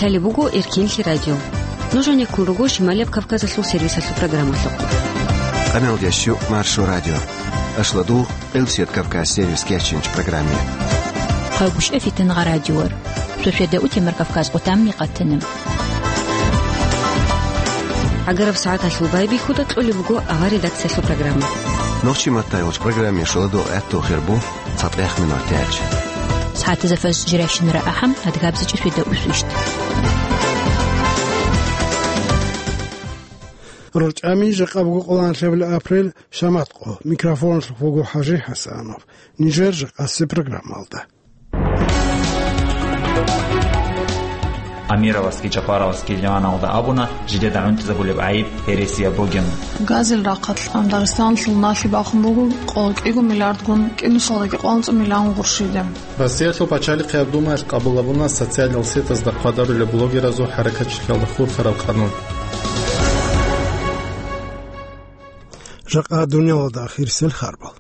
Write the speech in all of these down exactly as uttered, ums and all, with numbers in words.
Гьале буго Эркинлъи радио. Нуж гьанеккун руго Шималияб Кавказалъул сервисалъул программалъухъ. Къаналдияс щук Маршо радио. Ашладугъ Элсият Кавказ сервис кечинч программе. Хъагушев Фитангъа радиор. Софьяда Утемар Кавказ къутамни къатана. Агараб сагӀаталъул байбихьуда кьолеб буго авар редакциялъул программа. Нохчи маттай гъоч программе шуладугъ гӀатту хирбу. ЦатӀех минутач. СагӀатазда фаз жирайщинара ахӀам, адгабзичӀи свида усвищт. РорчӀами жакъа буго къоланлъабил апрель, шамат къо. Микрофонлъухъ буго ХӀажи ХӀасанов. Нижер жакъаси программалда. Амировасги Жапаровасги Ливаналда абуна, жидеда гӀунтӀизабулеб гӀайиб гьересияб бугин. Газил рахъалъан Дагъистаналъул налъи бахун буго къоло кӀиго миллиардгун, кӀинусалдаги къванцӀ миллион гъурщиде. Россиялъул пачалихъияб думаялъ къабул гьабуна социалал сетазда хъвадарулеб блогеразул хӀаракатчилъиялда хурхараб къанун. Жакъа дуниялалда ахирисел харбал.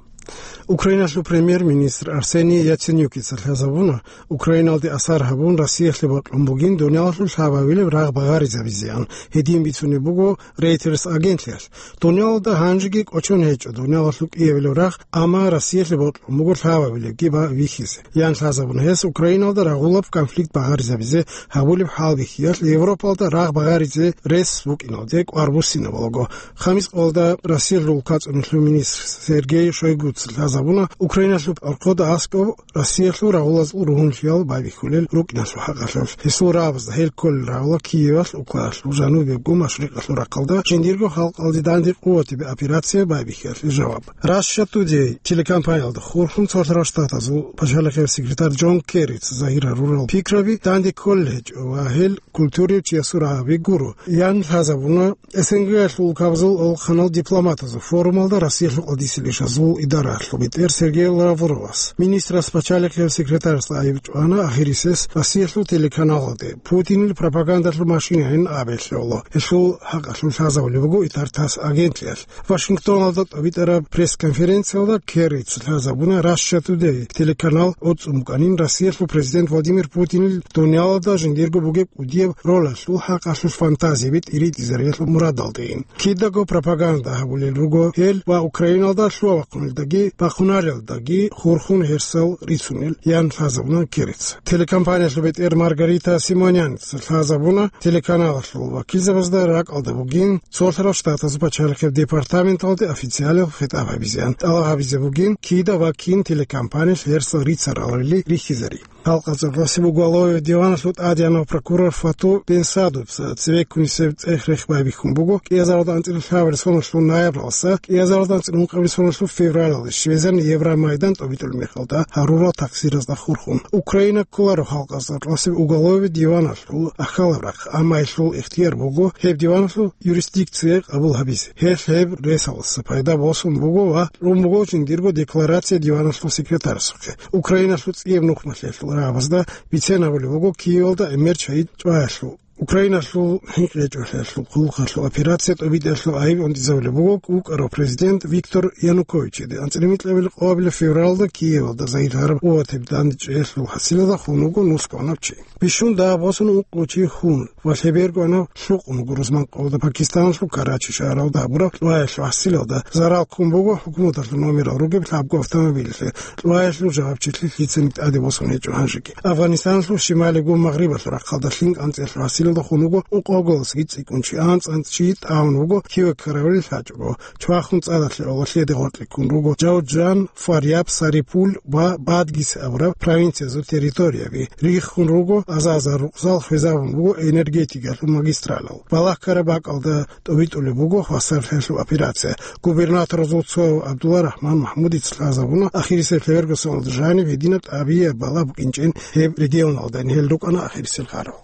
Украиналъул премьер-министр Арсений Яценюкица лъазабуна, Украиналде асар гьабун, Россиялъе бокьун бугин дуниялалъул лъабабилеб рагъ багъаризабизеян. Гьедин бицунеб буго Reuters агентлъиялъ. Дуниялалда гьанжеги кӀочон гьечӀо дуниялалъул кӀиабилеб рагъ, амма Россиялъе бокьун буго лъабабилебги ба-, бихьизе. Ян лъазабуна гьес Украиналда рагъулаб конфликт багъаризабизе гьабулеб хӀалбихьиялъ Европалда рагъ багъаризе рес букӀиналде кӀвар буссинабулаго. Хамис къоялда Россиялъул кацӀунелъул министр Сергей Шойгуца лъазабуна, Украиналъул архъода аскӀоб Россиялъул рагъулазул ругьунлъиял байбихьулел рукӀиналъул хӀакъалъулъ. Гьесул рагӀабазда гьел кколел рагъула Киевалъ, Украиналъул жанубебго машрикъалъул рахъалда жиндирго халкъалде данде къуватабе операция байбихьиялъе жаваб. Russia Today телекомпаниялда хурхун цолъарал штатазул пачалихъияб секретарь Джон Керрица загьир гьарурал пикраби данде кколел гьечӀо ва гьел культурияв чиясул рагӀаби гуро. Ян лъазабуна СНГ-ялъул улкабазул алхъанал дипломатазул форумалда Россиялъул къадисел ишазул идаралъул бетӀер Сергей Лавровас. Министрас пачалихъияб секретарасда айиб чӀвана ахирисес Россиялъул телеканалалде, Путинил пропагандалъул машинайин абе лъоло. Гьелъул хӀакъалъулъ лъазабулеб буго ИтарТАСС агентлъиялъ. Вашингтоналда тӀобитӀараб пресс-конференциялда Керрица лъазабуна Russia Today телеканал оцӀцӀун букӀанин Россиялъул президент Владимир Путинил дуниялалда жиндирго бугеб кӀудияб ролалъул хӀакъалъулъ фантазияби тӀиритӀизариялъул мурадалдейин. Кидаго пропаганда гьабулел руго гьел ва Украиналда лъугьа-бахъунелдаги бахъунарелдаги хурхун гьерсал рицунел, ян лъазабуна Керрица. Телекомпаниялъул бетӀер Маргарита Симоняница лъазабуна телеканалалъул вакилзабазда ракӀалда бугин цолъарал штатазул пачалихъияб департаменталде официалиял хитӀаб гьабизеян. ТӀалаб гьабизе бугин, кида ва кин телекомпаниялъ гьерсал рицаралли рихьизари. Халкъалъул гъасиб уголовый диваналъул тӀадегӀанав прокурор Фату Бенсадовца цебеккунисеб цӀех-рех байбихьун буго, кӀиазаралда анцӀила лъабабилеб соналъул ноябралдаса кӀиазаралда анцӀила ункъабилеб соналъул февралалде щвезан Евромайдан тӀобитӀулеб мехалда гьарурал такъсиразда хурхун. Украина кколаро халкъалъул гъасиб уголовый диваналъул ахьалаб рахъ, амма гьелъул ихтияр буго гьеб диваналъул юрисдикция къабул гьабизе. Гьелъ гьеб ресалдаса пайда босун буго ва кьун буго жиндирго декларация диваналъул секретарасухъе. Украиналъул цӀияб нухмалъиялъул рагӀабазда бицен абулеб буго Киевалда гӀемер чагӀи чӀваялъул. Украиналъул хӀинкъичӀолъиялъул хъулухъалъул операция тӀобитӀиялъул гӀайиб гӀунтӀизабулеб буго вукӀарав президент Виктор Януковичиде. АнцӀила микьабилеб къоабилеб февралда Киевалда загьир гьараб къуватаб дандчӀвеялъул хӀасилалда хун вуго нулъ кванав чи. Бищун дагь босун ункъо чи хун ва лъеберго анав лъукъун вуго рузман къоялда Пакистаналъул Карачи шагьаралда гьабураб лъугьаялъул хӀасилалда. Зарал ккун буго хӀукуматалъул номерал ругеб лъабго автомобилалъе, лъугьаялъул жавабчилъи лъицаниги тӀаде босун гьечӀо гьанжеги. Афганистаналъул шималигун магърибалъул рахъалда лъим кӀанцӀиялъул хӀасилалда хун вуго ункъоялдасаги цӀикӀкӀун чи, анцӀ-анцӀчи тӀагӀун вуго киве ккаравилел лъачӀого. Чвахун цӀадалъе гъолъиялде гъоркье ккун руго Жавуджан, Фаряб, Сарипул ва Бадгис абураб провинциязул территорияби. Риххун руго аза-азар рукъзал, хвезабун буго энергетикалъул магистралал. Балагь ккараб бакӀалда тӀобитӀулеб буго хвасарлъиялъул операция. Губернаторазул цо Абдулла Рахман Махмудица лъазабуна ахирисеб лъеберго соналда жаниб гьединаб тӀабияб балагь букӀинчӀин гьеб регионалда. Гьел рукӀана ахирисел гьарал.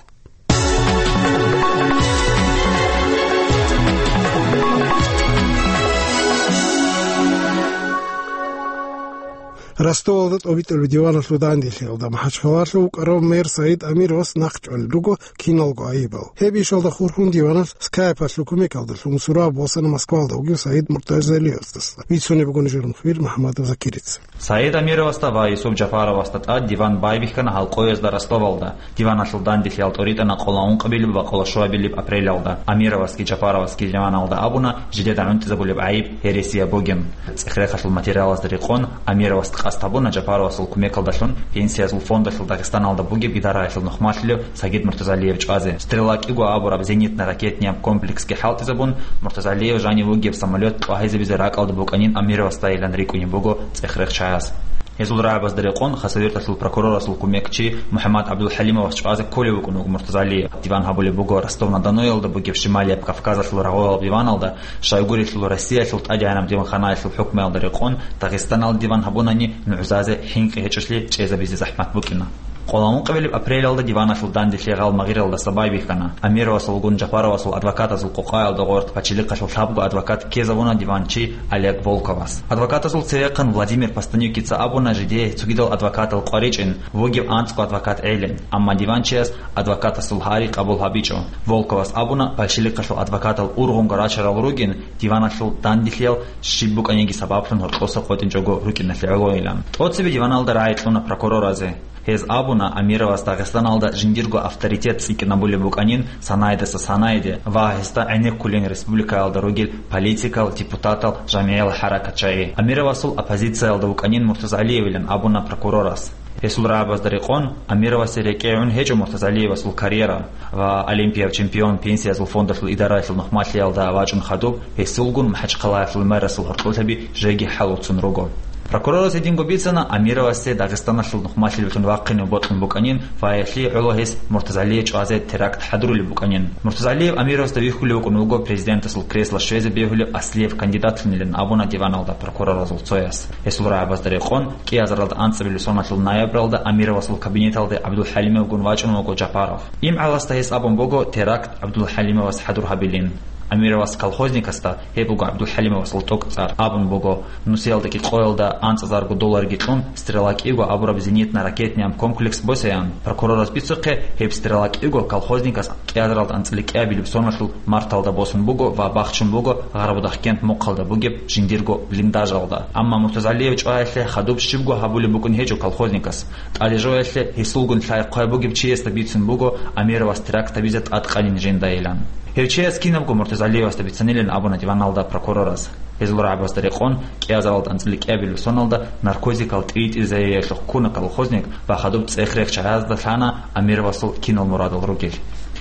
Ростовалда тӀобитӀулеб диваналъул данделъиялда МахӀачхъалалъув вукӀарав мэр Саид Амировас нахъчӀвалел руго киналго гӀайибал. Гьеб ишалда хурхун диваналъ скайпалъул кумекалдалъун сураб босана Москвалда вугев Саид Муртазалиевасдаса. Бицунеб буго нужер мухбир МухӀаммадов Закирица. Саид Амировасда ва Юсуп Жапаровасда тӀад диван байбихьана гьал къоязда Ростовалда. Диваналъул данделъиялда тӀоритӀана къоло ункъабилеб ва къоло щуабилеб апрелалда. Амировасги Жапаровасги диваналда абуна, жидеда гӀунтӀизабулеб гӀайиб гьересияб бугин. ЦӀехрехалъул материалазда рекъон, Амировас къасд гьабуна Жапаровасул кумекалдалъун Пенсиязул фондалъул Дагъистаналда бугеб идараялъул нухмалъулев Сагид Муртазалиев чӀвазе. Стрелак-иго абураб зенитно-ракетнияб комплексги хӀалтӀизабун, Муртазалиев жанив вугеб самолет тӀвагьизабизе ракӀалда букӀанин Амировасдайилан рикӀкӀунеб буго цӀехрех чагӀаз. Гьезул рагӀабазда рекъон Хасавюрталъул прокурорасул кумекчи МухӀаммад ГӀабдулхӀалимовас чӀвазе кколев вукӀун вуго Муртазалиев. Диван гьабулеб буго Ростов-на-Доноялда бугеб Шималияб Кавказалъул рагъугьалаб диваналда, щайгурелъул Россиялъул ТӀадегӀанаб диванханаялъул хӀукмуялда рекъон Дагъистаналда диван гьабунани нугӀзазе хӀинкъи гьечӀолъи чӀезабизе захӀмат букӀина. Къоло ункъабилеб апрелалда диваналъул данделъи гъал магъиралдаса байбихьана. Амировасулгун Жапаровасул адвокатазул къокъаялда гъорт пачелихъалъул лъабго адвокат ккезабуна диванчи Олег Волковас. Адвокатазул цевехъан Владимир Постанюкица абуна жидее цогидал адвокатал къваричӀин, вугев анцӀго адвокат гӀелин, амма диванчияс адвокатасул гьари къабул гьабичӀо. Волковас абуна, пачелихъалъул адвокатал ургъунго рачарал ругин, диваналъул данделъиял щиб букӀаниги сабаблъун гьоркьоса къотӀинчӀого рукӀиналъе гӀолойилан. ТӀоцебе диваналда рагӀи кьуна прокуроразе. Гьез абуна, Амировас Дагъистаналда жиндирго авторитет цӀикӀкӀинабулеб букӀанин санайдаса санайде ва гьесда гӀенеккулин республикаялда ругел политикал, депутатал, жамигӀиял хӀаракатчагӀи. Амировасул оппозициялда вукӀанин Муртазалиевилан абуна прокурорас. Гьесул рагӀабазда рекъон, Амировасе рекӀегӀун гьечӀо Муртазалиевасул карьера ва олимпияб чемпион Пенсиязул фондалъул идараялъул нухмалъиялда вачӀун хадуб, гьесулгун МахӀачхъалаялъул мэрасул гьоркьолъаби жеги хӀалуцун руго. Прокурорас гьединго бицана, Амировасе Дагъистаналъул нухмалъилалъун вахъине бокьун букӀанин ва гьелъие гӀоло гьес Муртазалие чӀвазе теракт хӀадурулеб букӀанин. Муртазалиев Амировасда вихьулев вукӀун вуго президентасул кресло щвезе бегьулев аслияб кандидатлъунилан абуна диваналда прокуроразул цояс. Гьесул рагӀабазда рекъон, кӀиазаралда анцӀабилеб соналъул ноябралда Амировасул кабинеталде ГӀабдулхӀалимовгун вачӀун вуго Жапаров. ИмгӀаласда гьес абун буго теракт ГӀабдулхӀалимовас хӀадур гьабилин. Амировас колхозникасда, гьеб буго ГӀабдулхӀалимовасул тӀокӀцӀар, абун буго, нусиялда кӀикъоялда анцӀазарго долларги кьун, «Стрела-кӀиго» абураб зенитно-ракетнияб комплекс босаян. Прокурорас бицухъе, гьеб «Стрела-кӀиго» колхозникас кӀиазаралда анцӀила кӀиабилеб соналъул марталда босун буго ва бахчун буго Гъарабудахкент мухъалда бугеб жиндирго блиндажалда. Амма Муртазалиев чӀваялъе хадуб щибго гьабулеб букӀун гьечӀо колхозникас. ТӀаде жоялъе гьесулгун лъай-хъвай бугеб чиясда бицун буго Амировас теракт гьабизе тӀадкъанин жиндайилан. Гьев чияс кинабго Муртазалиевасда бицанилан абуна диваналда прокурорас. Гьезул рагӀабазда рекъон, кӀиазаралда анцӀила кӀиабилеб соналда наркотикал тӀиритӀизариялъухъ ккуна колхозник ва хадуб цӀех-рех чагӀазда лъана Амировасул кинал мурадал ругел.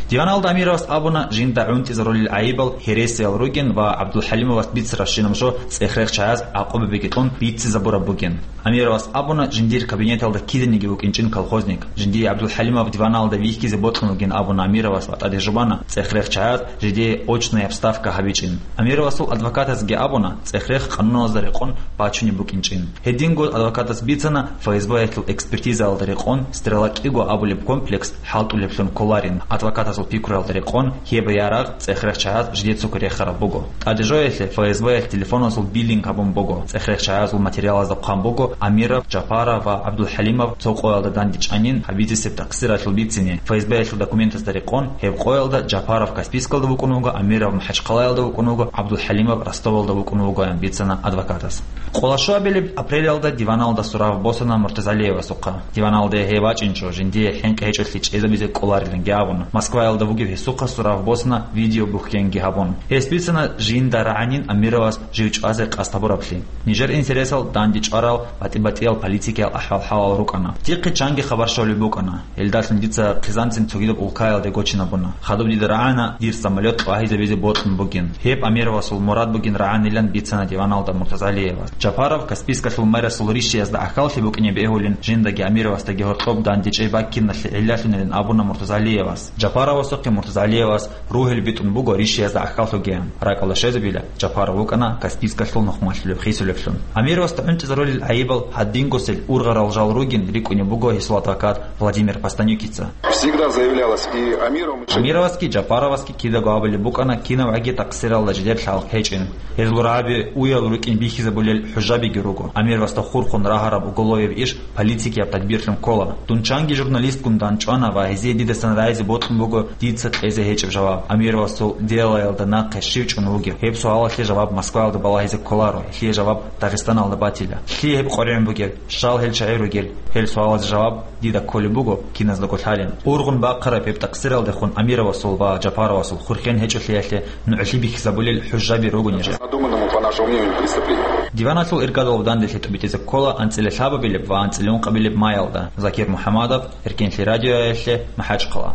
Диваналда Амировас абуна, жинда гӀунтӀизарулел гӀайибал гьересиял ругин ва ГӀабдулхӀалимовас бицарабщинаб жо цӀех-рех чагӀаз гӀакъубабиги кьун бицизабураб бугин. Амировас абуна, жиндир кабинеталда киданиги вукӀинчӀин колхозник. Жиндие ГӀабдулхӀалимов диваналда вихьизе бокьун вугин абуна Амировас ва тӀаде жубана цӀех-рех чагӀаз жидее очная вставка гьабичӀин. Амировасул адвокатазги абуна, цӀех-рех къануналазда рекъон бачунеб букӀинчӀин. Гьединго адвокатас бицана, ФСБ-ялъул экспертизаялда рекъон «Стрела-кӀиго» абулеб комплекс хӀалтӀулеблъун кколарин. Адвокатасул пикруялда рекъон, гьеб ярагъ цӀех-рех чагӀаз жидецаго рехараб буго. ТӀаде жоялъе ФСБ-ялъ телефоназул биллинг гьабун буго. ЦӀех-рех чагӀазул материалазда хъван буго Амиров, Жапаров ва ГӀабдулхӀалимов цо къоялда дандечӀанин гьабизесеб такъсиралъул бицине. ФСБ-ялъул документазда рекъон, гьеб къоялда Жапаров Каспийскалда вукӀун вуго, Амиров МахӀачхъалаялда вукӀун вуго, ГӀабдулхӀалимов Ростовалда вукӀун вугоян бицана адвокатас. Къоло щуабилеб апрелалда диваналда сурав босана Муртазалиевасухъа. Диваналде гьев вачӀинчӀо, жиндие хӀинкъи гьечӀолъи чӀезабизе кӀолариланги абун. Москваялда вугев гьесухъа сурав босана видеобухьенги гьабун. Гьес бицана, жинда рагӀанин Амировас жив чӀвазе къасд гьабураблъи. Нижер интересал данде чӀварал батӀи-батӀиял политикиял ахӀвал-хӀалал рукӀана. Дихъе чанги хабар щолеб букӀана. Гьелдалъун дица хъизанцин цогидаб улкаялде гочинабуна. Хадуб дида рагӀана дир самолет тӀвагьизабизе бокьун бугин. Гьеб Амировасул мурад бугин рагӀанилан бицана диваналда Муртазалиевас. Жапаров Каспийскалъул мэрасул ришиязда гӀахьаллъи букӀине бегьулин, жиндаги Амировасдаги гьоркьоб дандечӀей баккиналъе гӀиллалъунилан абуна Муртазалиевас. Жапаров Васухъе Муртазалиевас ругьел битӀун буго ришиязда гӀахьаллъугеян. РакӀалда щвезабила, Жапаров вукӀана Каспийскалъул нухмалъулеб хисулеблъун. Амировасда гӀунтӀизарулел гӀайибал гьадингосел ургъарал жал ругин рикӀкӀунеб буго гьесул адвокат Владимир Постанюкица. Всегда заявлялось и Амировым, и Амировасги Жапаровасги кидаго абулеб букӀана кинабгӀаги такъсиралда жидер лъалхъ гьечӀин. Гьезул рагӀаби уял рукӀин бихьизабулел хӀужабиги руго. Амировасда хурхун рагьараб уголовияб иш полицейкияб тадбирлъун ккола. Дун чанги журналистгун данчӀвана ва гьезие дидасан рагӀизе бокьун буго дица кьезе гьечӀеб жаваб. Амировасул делаялда нахъе щив чӀун вугев? Гьеб суалалъе жаваб Москваялда балагьизе кколаро, гьелъие жаваб Дагъистаналда батила. Лъие гьеб къваригӀун бугеб? Щал гьел чагӀи ругел? Гьел суалазе жаваб дида кколеб буго киназдаго лъалин. Ургъун бахъараб гьеб такъсиралдехун Амировасул ва Жапаровасул хурхен гьечӀолъиялъе нугӀлъи бихьизабулел хӀужаби руго нижер. Задуманному, по нашему мнению, преступлению. Диваналъул иргадалъув данделъи тӀубитӀизе ккола анцӀила лъабабилеб ва анцӀила ункъабилеб майялда. Закир МухӀамадов, Эркенлъи радиоялъе, МахӀачхъала.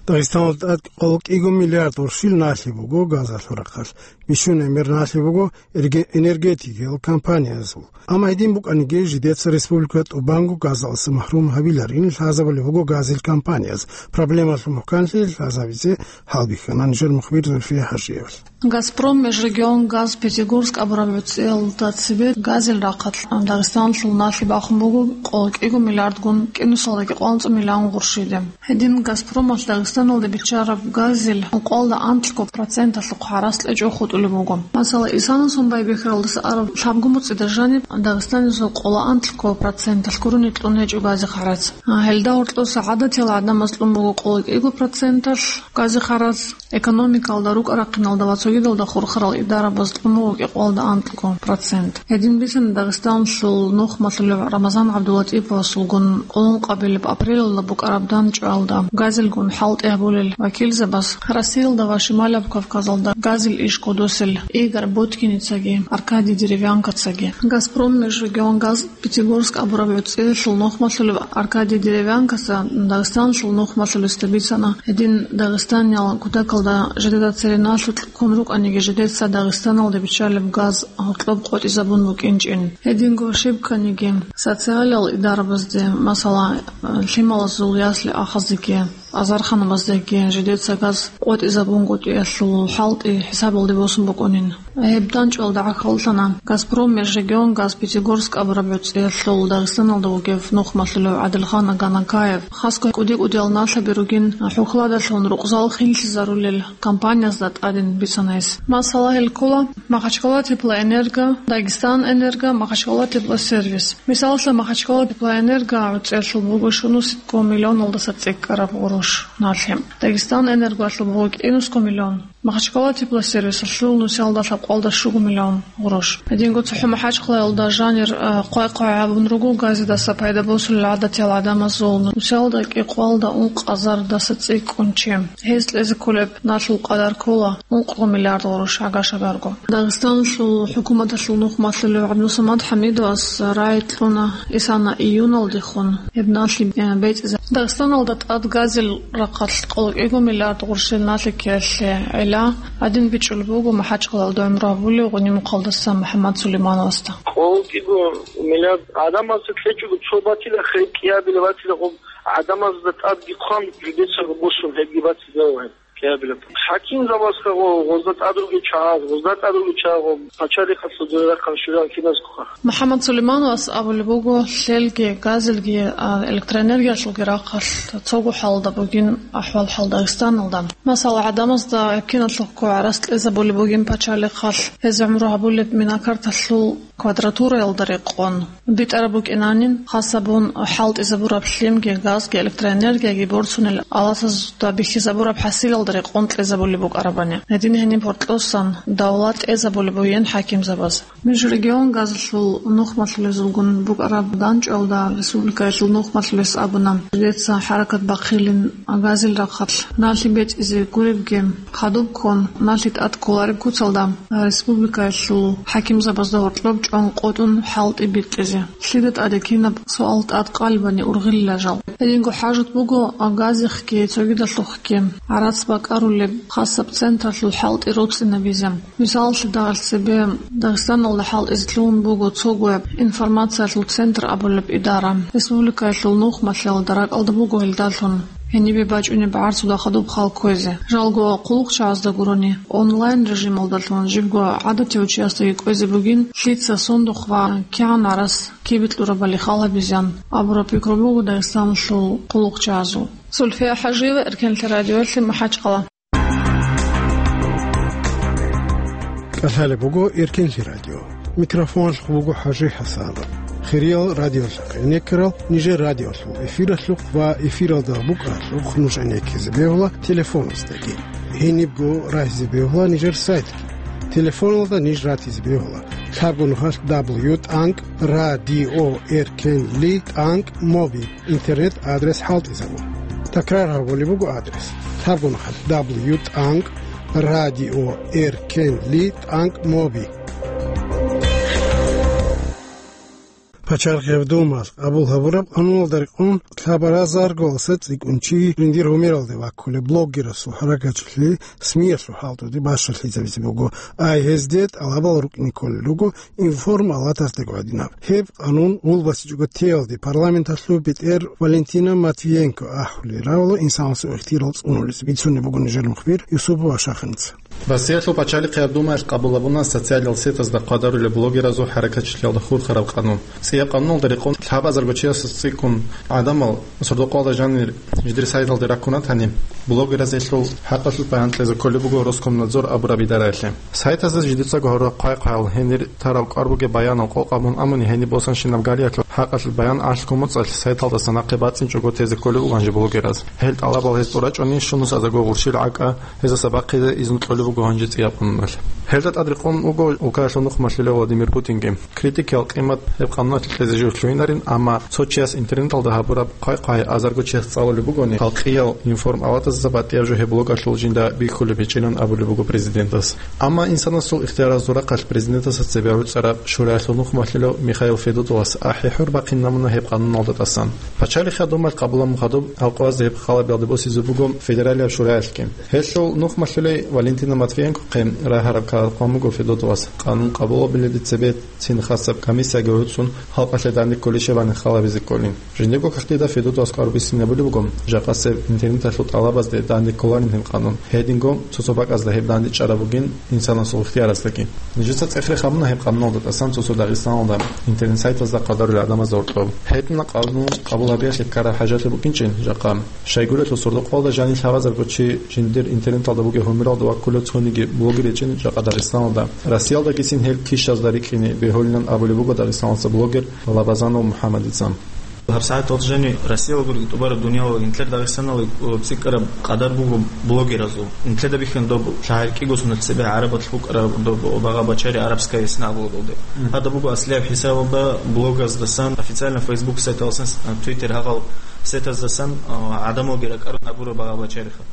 Дагъистаналда тӀад къоло кӀиго миллиард гъурщил налъи буго газалъул рахъалъ, бищун гӀемер налъи буго эрге-, энергетикиял компаниязул. Амма гьедин букӀаниги, жидеца республика тӀубанго газалъаса махрум гьабиларин лъазабулеб буго газил компанияз. Проблемалъул мухӀканлъи лъазабизе гьалбихьана нижер мухбир Зульфия ХӀажиевал. «Газпром Межрегионгаз Пятигорск абураб гӀуцӀиялда цебе газил рахъалъ Дагъистаналъул налъи бахун буго къоло кӀиго миллиардгун кӀинусалдаги къванцӀ миллион гъурщиде. Гьедин «Газпромалъ» Дагъистаналде биччараб газил ункъоялда анлъго проценталъухъ гьарац кьечӀого хутӀулеб буго. Масала, Исана Сумбай-Бехералдаса араб лъабго муцӀида жаниб Дагъистанизул къоло анлъго проценталъ гурони кьун гьечӀо газихъ гьарац. Гьелда гьоркьоса гӀадатиял гӀадамаз кьун буго къоло кӀиго проценталъ газихъ гьарац. Экономикалда, рукӀа-рахъиналда ва цогидалда хурхарал идарабаз кьун буго кӀикъоялда анкьго процент. Гьедин бицана Дагъистаналъул нухмалъулев Рамазан ГӀабдулатӀиповасулгун къоло ункъабилеб апрелалда букӀараб данчӀваялда газилгун хӀалтӀи гьабулел вакилзабаз, Россиялда ва Шималаб Кавказалда газил иш кодосел Игорь Боткиницаги Аркадий Деревянкацаги. «Газпром Межрегионгаз Пятигорск» абураб гӀуцӀиялъул нухмалъулев Аркадий Деревянкаса Дагъистаналъул нухмалъулесда бицана, гьедин Дагъистаниял кутакалда жидеда цере налъи ккун рукӀаниги, жидеца Дагъистаналде биччалеб газ гьоркьоб къотӀизабун букӀинчӀин. Гьединго щиб кканиги, социалиял идарабазде, масала, лъималазул ясли-ахазеги, азарханабаздеги жидеца газ къотӀизабунгутӀиялъул хӀалтӀи хӀисабалде босун букӀунин. Гьеб данчӀвалда гӀахьаллъана «Газпром Межрегионгаз Пятигорск» абураб гӀуцӀиялъул Дагъистаналда вугев нухмалъулев ГӀадилхан Аганакаев. Хасго кӀуди-кӀудиял налъаби ругин хӀухьладалъун рукъзал хинлъизарулел компаниязда тӀадин бицана гьес. Масала, гьел ккола Махачкала Теплоэнерго, Дагестан Энерго, Махачкала Теплосервис. Мисалалъе, Махачкала Теплоэнерго гӀуцӀиялъул буго щунусебго миллионалдаса цӀикӀкӀараб гъурущ налъи. Дагестан Энергоялъул буго кӀинусго миллион. Махачкала Теплосервисалъул нусиялда лъабкъоялда щуго миллион гъурущ. Гьединго цохӀо МахӀачхъалаялда жанир, а, хъвай-хъвай гьабун руго газидаса пайда босулел гӀадатиял гӀадамазул. Нусиялда кӀикъоялда ункъазардаса цӀикӀкӀун чи. Гьез кьезе кколеб налъул къадар ккола ункъго миллиард гъурущ гӀага-шагарго. Дагъистаналъул хӀукуматалъул нухмалъулев ГӀабдусамад ХӀамидовас рагӀи кьуна Исана июналдехун гьеб налъи, э, бецӀизе. Дагъистаналда тӀад газил рахъалъ къоло кӀиго миллиард гъурщил налъи ккеялъе гӀела гьадин бичӀчӀулеб буго МахӀачхъалаялда гӀумру гьабулев Гъунимухъалдаса МухӀаммад Сулеймановасда. Къоло кӀиго миллиард гӀадамазда кьечӀого цо батила хӀей кӀиабилеб батила гъоб гӀадамазда тӀадги хъван жидецаго босун гьебги батила гьеб. КӀиабилеб. ХӀакимзабазха гъо-, гъозда тӀад ругел чагӀаз, гъозда тӀад ругел чагӀаз, пачалихъалъул дурарахъал щурал киназгуха. МухӀаммад Сулеймановас абулеб буго, лъелги, газилги, а, электроэнергиялъулги рахъалъ цого хӀалда бугин ахӀвал-хӀал Дагъистаналда. Масала, гӀадамазда киналъухъго гӀарац кьезабулеб бугин пачалихъалъ, гьез гӀумру гьабулеб минакарталъул квадратураялда рекъон. БитӀараб букӀинанин, хасабун хӀалтӀизабураб лъимги, газги, электроэнергияги борцунел аласазда бихьизабураб хӀасилалда рекъон кьезабулеб букӀарабани. Гьедин гьениб гьоркьосан давла тӀезабулеб бугин хӀакимзабаз. Межрегионгазалъул нухмалъулезулгун букӀараб данчӀвалда республикаялъул нухмалъулес абуна, жидеца хӀаракат бахъилин газил рахъалъ налъи бецӀизе гуребги, хадуб ккун налъи тӀад кколареб куцалда, республикаялъул хӀакимзабазда гьоркьоб чӀван къотӀун хӀалтӀи бикьизе. Лъида тӀаде кинаб суал тӀад къалебани ургъилила жал. Гьединго хӀажат буго газихъги цогидалъухъги гӀарац бакӀарулеб хасаб централъул хӀалтӀи роцӀцӀинабизе. Мисалалъе, дагьалъ цебе Дагъистаналда хӀалтӀизе лъугьун буго цогояб информациялъул центр абулеб идара. Республикаялъул нухмалъиялда ракӀалда буго гьелдалъун. Гьенибе бачӀунеб гӀарцуда хадуб хал кквезе. Жалго, хъулухъчагьазда гурони, онлайн режималдалъун жибго гӀадатив чиясдаги кӀвезе бугин, лъица сундухъ ва кигӀан гӀарац кибе кьурабали хал гьабизеян абураб пикру буго Дагъистаналъул хъулухъчагьазул. Сульфия ХӀажиева, Эркенлъи радиоялъе, МахӀачхъала. КӀалъалеб буго Эркенлъи радио. Микрофоналъухъ буго ХӀажи ХӀасанов. Хириял радиолъахъ гӀенеккарал нижер радиолъул эфиралъухъ ва эфиралда букӀаралъухъ нуж гӀенеккизе бегьула телефоназдаги. Гьенибго рагьизе бегьула нижер сайтги. Телефоналда ниж ратизе бегьула: лъабго нухалъ дабл ю тӀанкӀ радио эркенли тӀанкӀ моби интернет-адрес хӀалтӀизабун. Такрар гьабулеб буго адрес: лъабго нухалъ дабл ю тӀанкӀ радио эркенли тӀанкӀ моби. Пачалихъ гьаб Думаялъ къабул гьабураб къануналда рекъон лъабазарго цӀикӀкӀун чи жиндир гьумералде ваккулеб блогерасул хӀаракатчилъи СМИ-ялъул хӀалтӀуде бащалъизабизе буго, ай гьезде тӀалабал рукӀине кколел руго информалатасдаго гӀадинаб. Гьеб къанун гъулбасичӀого теялде парламенталъул бетӀер Валентина Матвиенко ахӀулел равала инсанасул ихтияр цӀунулес бицунеб буго нижер мухбир Юсупов Ашахиница. Россиялъул пачалихъ гьаб Думаялъ къабул гьабуна социалал сетазда хъвадарулел блогеразул хӀаракатчилъиялда хурхараб къанун. ЦӀияб къануналда рекъон лъабазарго чиясда цӀикӀкӀун гӀадамал сордо-къоялда жанир жиндир сайталде раккун ратани, блогеразе гьелъул хӀакъалъулъ баян кьезе кколеб буго Роскомнадзор абураб идараялъе. Сайтазда жидецаго гьарураб хъвай-хъваял, гьенир тараб кӀвар бугеб баянал къокъ гьабун амуни, гьениб босанщинаб галиялъул хӀакъалъулъ баян алъго моцӀалъ сайталдаса нахъе бацӀцӀинчӀого тезе кколеб буго гьанже блогераз. Гьел тӀалабал гьез тӀурачӀони, щунусаздаго гъурщил гӀакӀа гьезаса бахъизе изну кьолеб буго гьанже цӀияб къануналъ. Гьелда тӀад рекъон вуго улкаялъул нухмалъулев Владимир Путинги. Критикиял къимат гьеб къануналъе кьезе жо лъугьинарин, амма цо чияс интернеталда гьабураб хъвай-хъвай азарго чияс цӀалулеб бугони, халкъиял информалатазда батӀияб жо гьеб блогалъул жинда бихьулеб гьечӀилан абулеб буго президентас. Амма инсанасул ихтияразул рахъалъ президентасда цебе гӀуцӀараб Шураялъул нухмалъулев Михаил Федотовас ахӀи-хӀур бахъинна муна гьеб къануналда тӀасан. Пачалихъ гьаб Думаялъ къабул гьабун хадуб гьалкъоязда гьеб хал гьабиялде босизе буго Федералияб Шураялъги. Гьелъул нухмалъулей Валентина Матвиенкохъе рагьараб ккараб къан буго Федотовас, къанун къабул гьабилелде цебе цин хасаб комиссияги гӀуцӀун, халкъалъе данде кколищ гьеб гьаниб хал гьабизе кколин. Жиндирго кагътида Федотовас кӀвар бицине абулеб буго, жакъасеб интернеталъул тӀалабазде данде кколарин гьеб къанун. Гьединго цо-цо бакӀазда гьеб данде чӀараб бугин инсанасул ихтиярасдаги. Нижеца цӀех-рех гьабуна гьеб къануналда тӀасан цо-цо Дагъистаналда интернет-сайтазда хъвадарулел гӀадамазда гьоркьоб. Гьединаб къанун къабул гьабиялъе ккараб хӀажатлъи букӀинчӀин, жакъа. Щайгурелъул сордо-къоялда жанир лъабазарго чи жиндир интернеталда бугеб гьумералда ваккулев цониги блогер гьечӀин жакъа Дагъистаналда. Россиялдагицин гьел кищазда рикӀкӀине бегьулилан абулеб буго дагъистаналца блогер Лабазанов МухӀаммадица. ГьабсагӀат гьалжани Россиялгурги тӀубараб дунияла нилъер Дагъистаналги цӀикӀкӀараб къадар буго блогеразул. Нилъеда бихьана доб лъагӀел кӀиго соналъ цебе гӀарабалъ букӀараб доб багъа-бачари «Арабская весна» блогал доб. Мгм. Гьадаб буго аслияб хӀисабалда блогаздасан, официально Facebook сайталдасан, Twitter гьагъал сетаздасан, а, гӀадамалги ракӀарун гьабураб багъа-бачариха.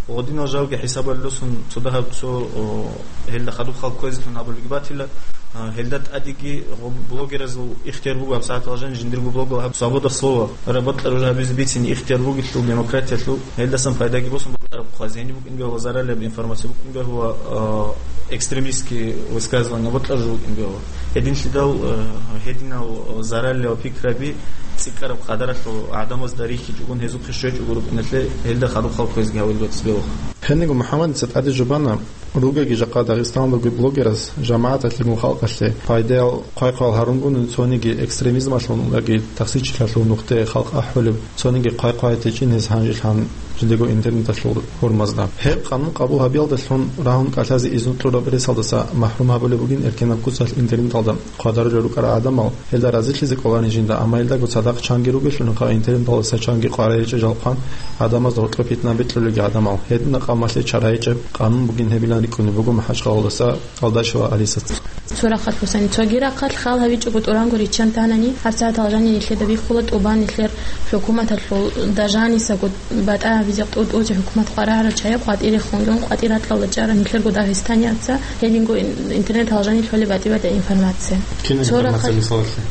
Гъодинал жалги хӀисабалъулъун цо дагьаб цо, о, гьелда хадуб хал кквезелъун абулебги батила, а, гьелда тӀадеги гъо-, блогеразул ихтияр буго гьабсагӀат гьалжани жиндирго блогал гьаб свобода слова, раб бокьараб жо гьабизе бицине ихтияр бугелъул демократиялъул, гьелдасан пайдаги босун бокьараб хъвазе гьениб букӀин бегьула, заралияб информация букӀин бегьула, а, экстремистский высказывание бокьараб жо букӀин бегьула. Гьединлъидал, э, гьединал зараллъи ва пикраби цӀикӀкӀараб къадаралъул гӀадамазда рихьичӀогун гьезухъе щвечӀого рукӀиналъе гьелда хадуб хал кквезги гьавил бецӀ белха. Гьениго МухӀаммадица тӀаде жубана, ругеги жакъа Дагъистаналдаги блогераз жамагӀаталъе, халкъалъе пайдаял хъвай-хъваял гьарунгун цониги экстремизмалъунги тахсирчилъалъул нухде халкъ ахӀулеб, цониги хъвай-хъвай течӀин гьез гьанжелъан жидего интернеталъул гьурмазда. Гьеб къанун къабул гьабиялдалъун рагьун кӀалъазе изну кьураб ресалдаса махӀрум гьабулеб бугин эркенаб куцалъ интернеталда хъвадарулел рукӀарал гӀадамал, гьелда разилъизе кӀоларин жинда, амма гьелдаго цадахъ чанги ругелъулинха интернеталдаса чанги къваригӀинчӀеб жалхъан гӀадамазда гьоркьоб питна бикьулелги гӀадамал. Гьединаб къамалъе чарайичӀеб къанун бугин гьебилан рикӀкӀунеб буго МахӀачхъалалдаса Алдашева Алисаца. Цо рахъалъ босани, цоги рахъалъ хал гьавичӀого тӀуранго риччан танани, гьабсагӀат гьалжани нилъеда бихьула тӀубан нилъер хӀукуматалъул дажанисаго батӀа гьабизе тӀутӀузе хӀукумат къваригӀарал чагӀи къватӀире хунгун къватӀир ракьалда чӀарал нилъерго дагъистаниябца, гьединго ин-, интернет гьалжани лъолеб батӀи-батӀи информация. Кин цо информация рахъалъ мисалалъе?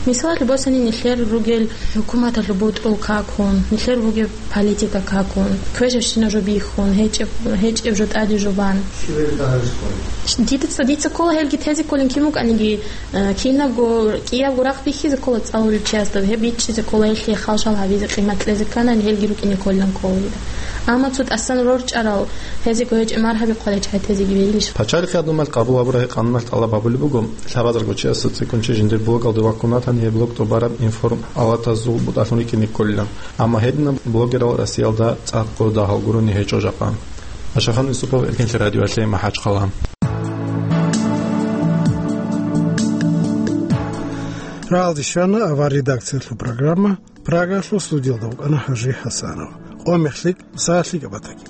Мисалалъе босани, нилъер ругел хӀукуматалъул бутӀрул какун, нилъер бугеб политика какун, квешабщина жо бихьун, гьечӀеб, гьечӀеб жо тӀаде жо бан. Дица, дица ккола гьелги тезе кколин кин вукӀаниги, э, кинабго, кӀиябго рахъ бихьизе ккола цӀалулев чиясда, гьеб бичӀчӀизе ккола, гьелъие халжал гьабизе, къимат кьезе кканани, гьелги рукӀине кколилан ккола дида. Амма цо тӀасан рорчӀарал, гьезего гьечӀеб маргьаби хъвалечӀай тезеги белищ? Пачалихъ гьадумал къабул гьабурай къануналъ тӀалаб гьабулеб буго, лъабазарго чиясда цӀикӀкӀун чи жиндир блогалде ваккунатани, гьеб блог тӀубараб информ-алатазул бутӀалъун рикӀине кколилан. Амма гьединаб блогерал Россиялда цӀакъго дагьал гурони гьечӀо жакъа. Ашахан Юсупов, Эркенлъи радиоялъе, МахӀачхъала. Рагьалде щвана авар редакциялъул программа, Прагалъул студиялда вукӀана ХӀажи ХӀасанов. Къо мехлъи, сагӀалъи габатаги.